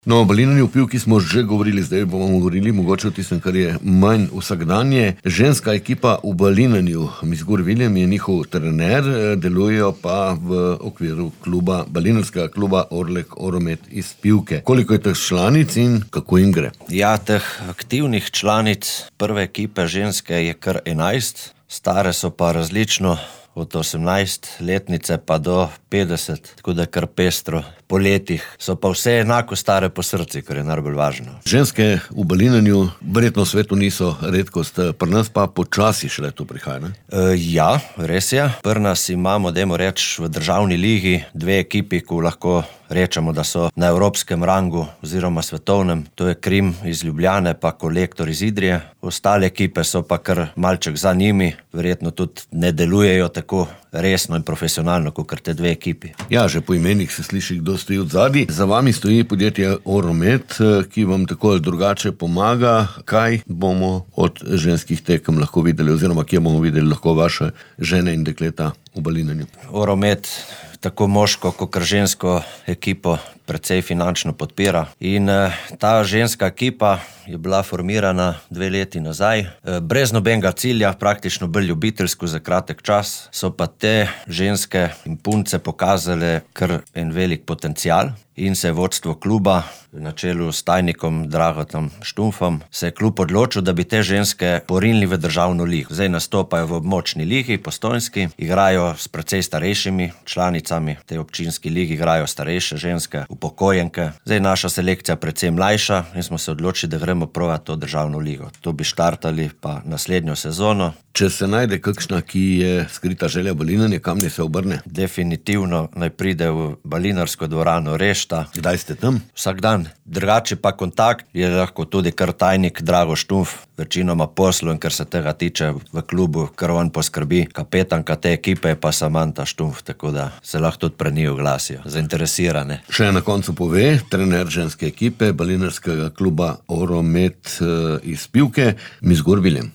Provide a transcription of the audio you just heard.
No, o balinanju v Pivki smo že govorili, zdaj bomo govorili mogoče o tistem, kar je manj vsakdanje. Ženska ekipa v balinanju, Miss Gur William je njihov trener, delujejo pa v okviru balinarskega kluba Orlek Oromet iz Pivke. Koliko je teh članic in kako jim gre? Ja, teh aktivnih članic prve ekipe ženske je kar 11, stare so pa različno, od 18-letnice pa do 50, tako da kar pestro. Po letih so pa vse enako stare po srci, kar je najbolj važno. Ženske v balinanju verjetno v svetu niso redkost, pri nas pa počasi šele to prihaja, ne? Ja, res je. Pri nas imamo, dajmo reči, v državni ligi 2 ekipi, ko lahko rečemo, da so na evropskem rangu oziroma svetovnem. To je Krim iz Ljubljane pa Kolektor iz Idrije. Ostale ekipe so pa kar malček za njimi, verjetno tudi ne delujejo tako resno in profesionalno, kot te 2 ekipi. Ja, že po imenih se sliši, kdo stoji od zadaj. Za vami stoji podjetje Oromet, ki vam tako ali drugače pomaga. Kaj bomo od ženskih tekem lahko videli, oziroma kje bomo videli lahko vaše žene in dekleta v balinanju? Oromet tako moško kot žensko ekipo precej finančno podpira. In ta ženska ekipa je bila formirana 2 leti nazaj. Brez nobenega cilja, praktično bolj ljubiteljsko za kratek čas, so pa te ženske in punce pokazale kar en velik potencial in se je vodstvo kluba na čelu s tajnikom Dragotom Štumfom se je klub odločil, da bi te ženske porinili v državno ligo. Zdaj nastopajo v območni ligi, Postojnski, igrajo s precej starejšimi članicami, te občinski ligi igrajo starejše ženske, upokojenke. Zdaj naša selekcija precej mlajša in smo se odločili, da gremo provat to državno ligo. To bi štartali pa naslednjo sezono. Če se najde kakšna, ki je skrita želja balinanja, kam naj se obrne? Definitivno naj pride v balinarsko dvorano Rešta. Kdaj ste tam? Vsak dan. Drugače pa kontakt je lahko tudi kar tajnik Drago Štumf, večinoma poslu, in kar se tega tiče v klubu, kar on poskrbi. Kapetanka te ekipe je pa Samanta Štumf, tako da se lahko tudi pre njih oglasijo, zainteresirane. Še na koncu pove trener ženske ekipe balinarskega kluba Oromet iz Pivke, Miss Gur William.